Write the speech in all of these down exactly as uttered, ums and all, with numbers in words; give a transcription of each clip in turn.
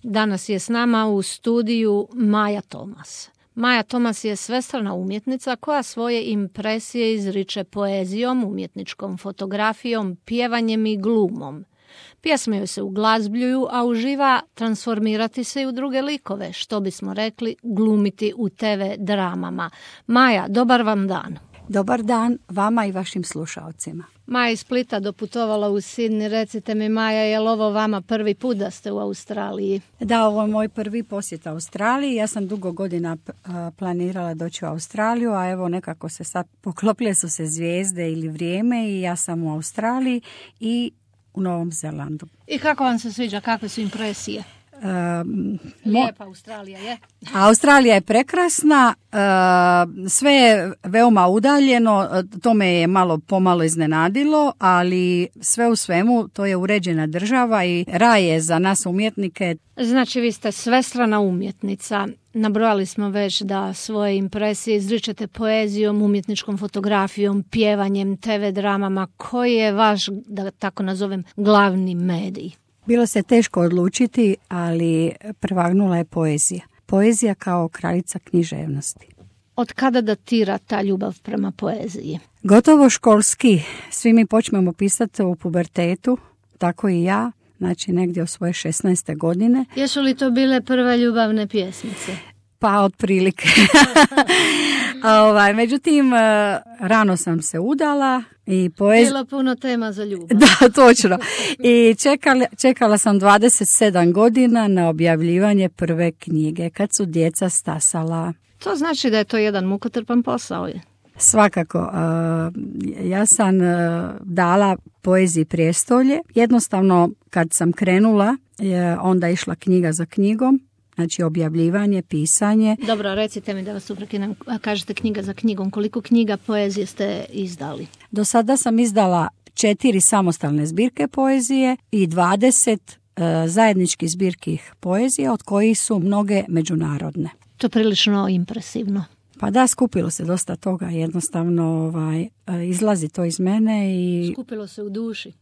Danas je s nama u studiju Maja Tomas. Maja Tomas je svestrana umjetnica koja svoje impresije izriče poezijom, umjetničkom fotografijom, pjevanjem i glumom. Pjesme joj se uglazbljuju, a uživa transformirati se i u druge likove, što bismo rekli glumiti u te ve dramama. Maja, dobar vam dan. Dobar dan vama i vašim slušalcima. Maja iz Splita doputovala u Sidney. Recite mi, Maja, je li ovo vama prvi put da ste u Australiji? Da, ovo je moj prvi posjet Australiji. Ja sam dugo godina planirala doći u Australiju, a evo nekako se sad poklopile su se zvijezde ili vrijeme i ja sam u Australiji i u Novom Zelandu. I kako vam se sviđa? Kakve su impresije? Um, Lijepa Australija je. Australija je prekrasna, uh, sve je veoma udaljeno, to me je malo pomalo iznenadilo, ali sve u svemu to je uređena država i raj je za nas umjetnike. Znači vi ste svestrana umjetnica. Nabrojali smo već da svoje impresije izričete poezijom, umjetničkom fotografijom, pjevanjem, te ve dramama. Koji je vaš, da tako nazovem, glavni medij? Bilo se teško odlučiti, ali prevagnula je poezija. Poezija kao kraljica književnosti. Od kada datira ta ljubav prema poeziji? Gotovo školski. Svi mi počnemo pisati u pubertetu, tako i ja, znači negdje od svoje šesnaeste godine. Jesu li to bile prve ljubavne pjesmice? Pa otprilike. ovaj, međutim, rano sam se udala. I poez... Bilo puno tema za ljubav. Da, točno. I čekala, čekala sam dvadeset sedam godina na objavljivanje prve knjige, kad su djeca stasala. To znači da je to jedan mukotrpan posao. Je. Svakako. Uh, ja sam uh, dala poeziji prijestolje. Jednostavno, kad sam krenula, je onda išla knjiga za knjigom. Znači objavljivanje, pisanje. Dobro, recite mi da vas uprekinem, kažete knjiga za knjigom. Koliko knjiga poezije ste izdali? Do sada sam izdala četiri samostalne zbirke poezije i dvadeset uh, zajedničkih zbirki poezije, od kojih su mnoge međunarodne. To je prilično impresivno. Pa da, skupilo se dosta toga, jednostavno ovaj, izlazi to iz mene i... Skupilo se u duši.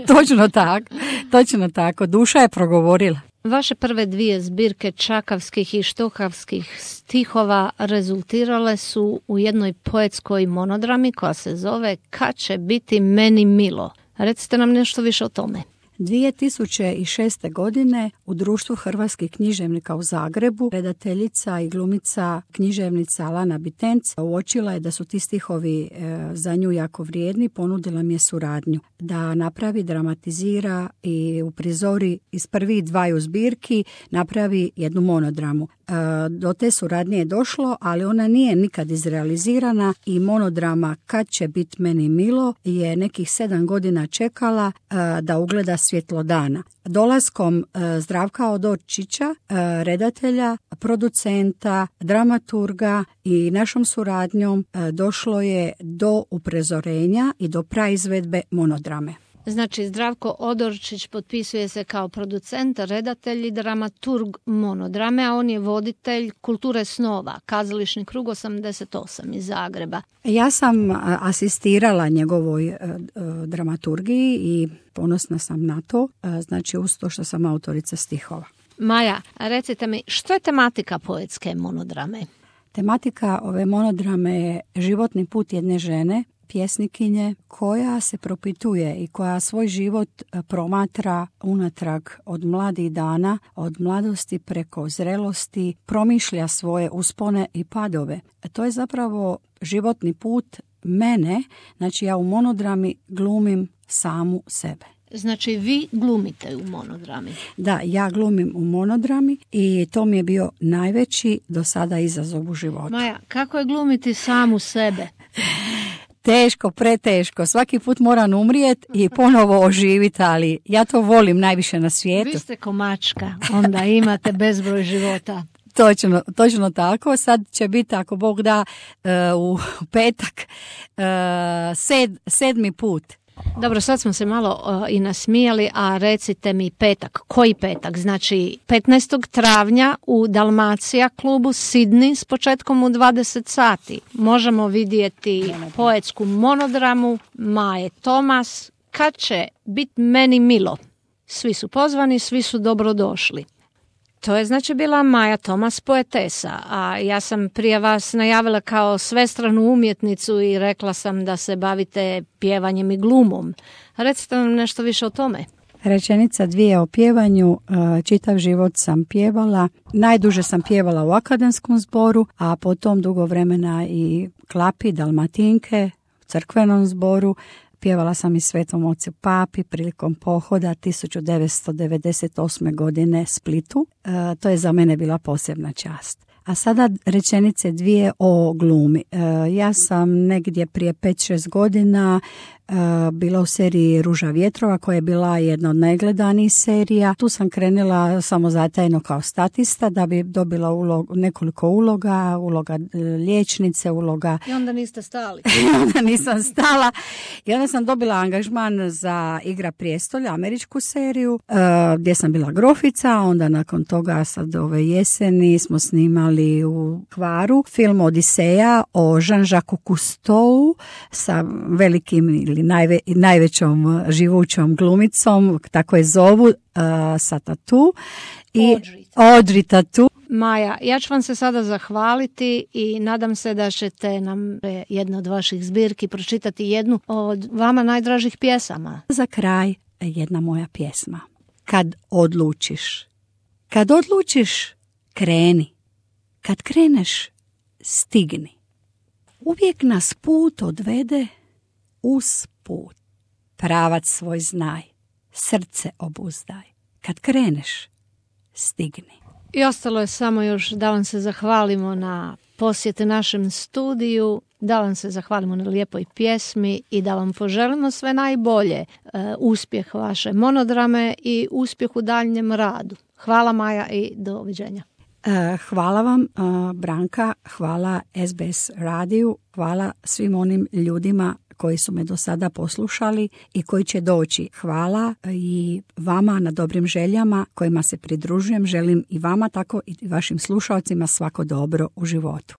Točno tako, točno tako, duša je progovorila. Vaše prve dvije zbirke čakavskih i štokavskih stihova rezultirale su u jednoj poetskoj monodrami koja se zove Kad će biti meni milo. Recite nam nešto više o tome. dvije tisuće šeste. godine u Društvu hrvatskih književnika u Zagrebu redateljica i glumica književnica Lana Bitenc uočila je da su ti stihovi e, za nju jako vrijedni, ponudila mi je suradnju da napravi, dramatizira i uprizori iz prvih dvaju zbirki napravi jednu monodramu. E, do te suradnje je došlo, ali ona nije nikad izrealizirana i monodrama Kad će biti meni milo je nekih sedam godina čekala e, da ugleda svjetlo dana. Dolaskom e, Zdravka Odorčića, e, redatelja, producenta, dramaturga i našom suradnjom e, došlo je do uprezorenja i do praizvedbe monodrame. Znači, Zdravko Odorčić potpisuje se kao producent, redatelj i dramaturg monodrame, a on je voditelj Kulture snova, Kazališni krug osamdeset osam iz Zagreba. Ja sam asistirala njegovoj uh, dramaturgiji i ponosna sam na to, uh, znači uz to što sam autorica stihova. Maja, recite mi, što je tematika poetske monodrame? Tematika ove monodrame je životni put jedne žene, pjesnikinje koja se propituje i koja svoj život promatra unatrag od mladih dana, od mladosti preko zrelosti, promišlja svoje uspone i padove. To je zapravo životni put mene, znači ja u monodrami glumim samu sebe. Znači vi glumite u monodrami? Da, ja glumim u monodrami i to mi je bio najveći do sada izazov u životu. Maja, kako je glumiti samu sebe? Teško, preteško. Svaki put moram umrijeti i ponovo oživiti, ali ja to volim najviše na svijetu. Vi ste ko mačka, onda imate bezbroj života. Točno, točno tako. Sad će biti, ako Bog da, u petak sed, sedmi put. Dobro, sad smo se malo uh, i nasmijali, a recite mi petak. Koji petak? Znači petnaestog travnja u Dalmacija klubu Sidney s početkom u dvadeset sati. Možemo vidjeti poetsku monodramu Maje Tomas Kad će biti meni milo. Svi su pozvani, svi su dobrodošli. To je znači bila Maja Tomas, poetesa, a ja sam prije vas najavila kao svestranu umjetnicu i rekla sam da se bavite pjevanjem i glumom. Recite nam nešto više o tome. Rečenica dvije o pjevanju. Čitav život sam pjevala. Najduže sam pjevala u akademskom zboru, a potom dugo vremena i klapi, dalmatinke, u crkvenom zboru. Pjevala sam i Svetom ocu Papi prilikom pohoda tisuću devetsto devedeset osme. godine Splitu. E, to je za mene bila posebna čast. A sada rečenice dvije o glumi. E, ja sam negdje prije pet šest godina e, bila u seriji Ruža vjetrova, koja je bila jedna od najgledanijih serija. Tu sam krenula samozatajno kao statista da bi dobila ulog, nekoliko uloga, uloga liječnice, uloga... I onda niste stali. I onda nisam stala. I onda sam dobila angažman za Igra prijestolja, američku seriju, e, gdje sam bila grofica. Onda nakon toga sad ove jeseni smo snimali u Hvaru film Odiseja o Jean-Jacques Cousteau sa velikim ili najve, najvećom živućom glumicom, tako je zovu, uh, sa tatu. I Audrey Tautou. Maja, ja ću vam se sada zahvaliti i nadam se da ćete nam jednu od vaših zbirki pročitati jednu od vama najdražih pjesama. Za kraj jedna moja pjesma. Kad odlučiš. Kad odlučiš, kreni. Kad kreneš, stigni. Uvijek nas put odvede uz put. Pravac svoj znaj, srce obuzdaj. Kad kreneš, stigni. I ostalo je samo još da vam se zahvalimo na posjete našem studiju, da vam se zahvalimo na lijepoj pjesmi i da vam poželimo sve najbolje, e, uspjeh vaše monodrame i uspjeh u daljnjem radu. Hvala Maja i doviđenja. Hvala vam, Branka, hvala S B S radiju, hvala svim onim ljudima koji su me do sada poslušali i koji će doći. Hvala i vama na dobrim željama kojima se pridružujem. Želim i vama tako i vašim slušalcima svako dobro u životu.